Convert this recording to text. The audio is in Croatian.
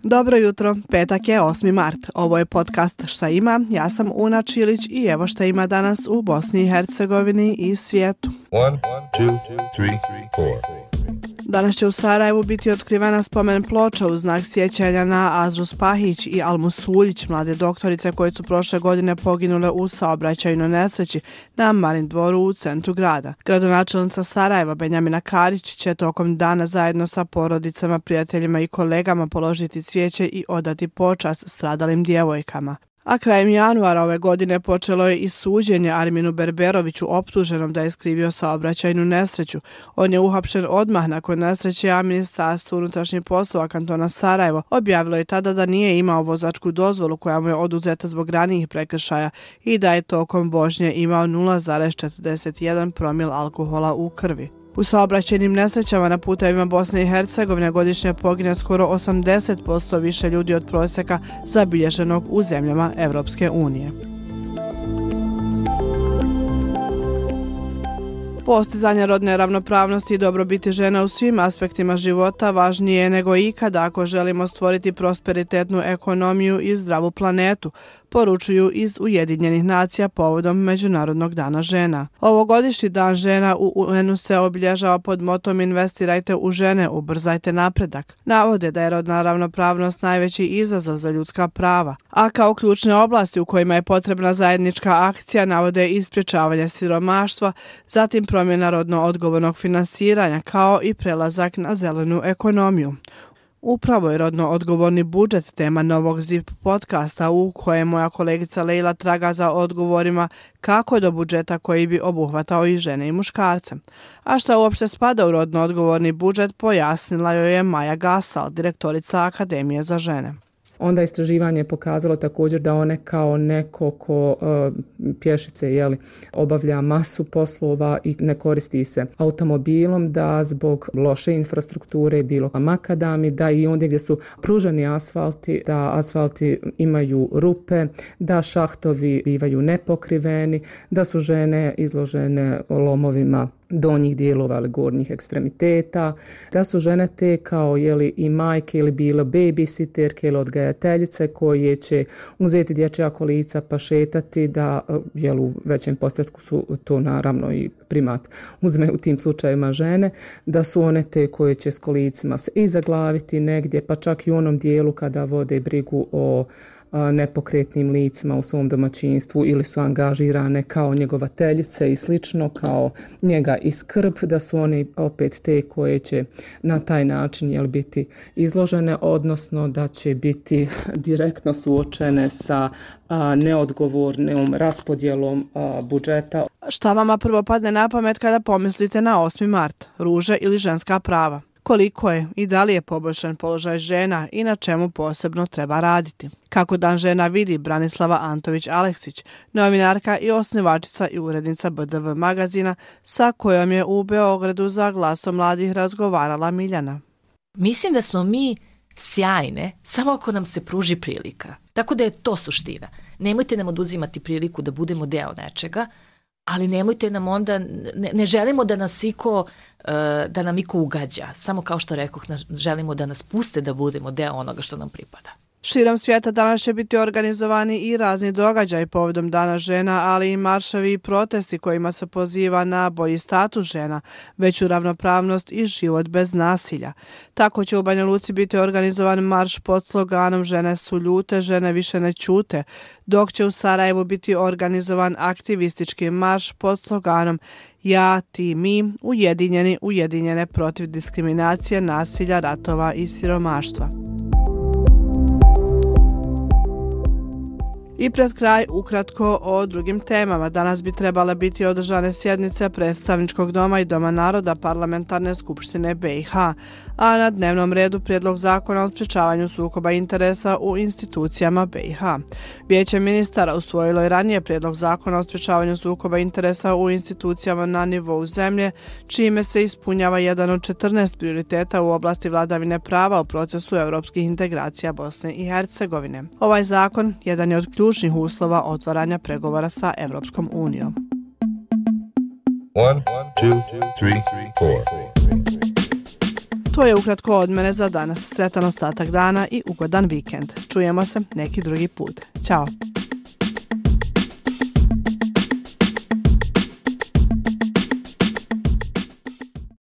Dobro jutro, petak je 8. mart. Ovo je podcast Šta ima, ja sam Una Čilić i evo šta ima danas u Bosni i Hercegovini i svijetu. 1, 2, 3, 4. Danas će u Sarajevu biti otkrivena spomen ploča u znak sjećanja na Azru Spahić i Almu Suljić, mlade doktorice koje su prošle godine poginule u saobraćajnoj nesreći na Marin dvoru u centru grada. Gradonačelnica Sarajeva Benjamina Karić će tokom dana zajedno sa porodicama, prijateljima i kolegama položiti cvijeće i odati počast stradalim djevojkama. A krajem januara ove godine počelo je i suđenje Arminu Berberoviću optuženom da je skrivio saobraćajnu nesreću. On je uhapšen odmah nakon nesreće, a Ministarstvo unutrašnjih poslova kantona Sarajevo objavilo je tada da nije imao vozačku dozvolu koja mu je oduzeta zbog ranijih prekršaja i da je tokom vožnje imao 0,41 promil alkohola u krvi. U saobraćajnim nesrećama na putevima Bosne i Hercegovine godišnje pogine skoro 80% više ljudi od prosjeka zabilježenog u zemljama Evropske unije. Postizanje rodne ravnopravnosti i dobrobiti žena u svim aspektima života važnije je nego ikada ako želimo stvoriti prosperitetnu ekonomiju i zdravu planetu, poručuju iz Ujedinjenih nacija povodom Međunarodnog dana žena. Ovogodišnji dan žena u UN-u se obilježava pod motom Investirajte u žene, ubrzajte napredak. Navode da je rodna ravnopravnost najveći izazov za ljudska prava, a kao ključne oblasti u kojima je potrebna zajednička akcija navode i sprječavanje siromaštva, zatim promjena rodno odgovornog finansiranja kao i prelazak na zelenu ekonomiju. Upravo je rodno odgovorni budžet tema novog ZIP podcasta u kojem moja kolegica Lejla traga za odgovorima kako do budžeta koji bi obuhvatao i žene i muškarce. A šta uopšte spada u rodno odgovorni budžet pojasnila joj je Maja Gasal, direktorica Akademije za žene. Onda istraživanje je pokazalo također da one kao neko ko pješice obavlja masu poslova i ne koristi se automobilom, da zbog loše infrastrukture, bilo makadami, da i ondje gdje su pruženi asfalti, da asfalti imaju rupe, da šahtovi bivaju nepokriveni, da su žene izložene lomovima donjih dijelova ili gornjih ekstremiteta, da su žene te kao i majke ili bilo babysitterke ili odgajateljice koje će uzeti dječja kolica pa šetati, da u većem postotku su to naravno i primat uzme u tim slučajevima žene, da su one te koje će s kolicima se i zaglaviti negdje, pa čak i u onom dijelu kada vode brigu o nepokretnim licima u svom domaćinstvu ili su angažirane kao njegovateljice i slično, kao njega i skrb, da su oni opet te koje će na taj način biti izložene, odnosno da će biti direktno suočene sa neodgovornom raspodjelom budžeta. Šta vama prvo padne na pamet kada pomislite na 8. mart, ruže ili ženska prava? Koliko je i da li je poboljšan položaj žena i na čemu posebno treba raditi? Kako dan žena vidi Branislava Antović-Aleksić, novinarka i osnivačica i urednica BDV magazina sa kojom je u Beogradu za Glasom mladih razgovarala Miljana. Mislim da smo mi sjajne samo ako nam se pruži prilika. Tako da je to suština. Nemojte nam oduzimati priliku da budemo deo nečega, ali nemojte nam onda, ne želimo da nas da nam iko ugađa. Samo kao što rekoh, želimo da nas puste da budemo deo onoga što nam pripada. Širom svijeta danas će biti organizovani i razni događaji povodom Dana žena, ali i marševi i protesti kojima se poziva na bolji status žena, veću ravnopravnost i život bez nasilja. Tako će u Banja Luci biti organizovan marš pod sloganom Žene su ljute, žene više ne ćute, dok će u Sarajevu biti organizovan aktivistički marš pod sloganom Ja, ti, mi, ujedinjene protiv diskriminacije, nasilja, ratova i siromaštva. I pred kraj ukratko o drugim temama. Danas bi trebale biti održane sjednice Predstavničkog doma i Doma naroda Parlamentarne skupštine BiH, a na dnevnom redu prijedlog zakona o sprječavanju sukoba interesa u institucijama BiH. Vijeće ministara usvojilo je ranije prijedlog zakona o sprječavanju sukoba interesa u institucijama na nivou zemlje, čime se ispunjava jedan od 14 prioriteta u oblasti vladavine prava u procesu europskih integracija Bosne i Hercegovine. Ovaj zakon jedan je od ključnih uslova otvaranja pregovora sa Evropskom unijom. 1, 2, 3, 4. To je ukratko od mene za danas. Sretan ostatak dana i ugodan vikend. Čujemo se neki drugi put. Ćao!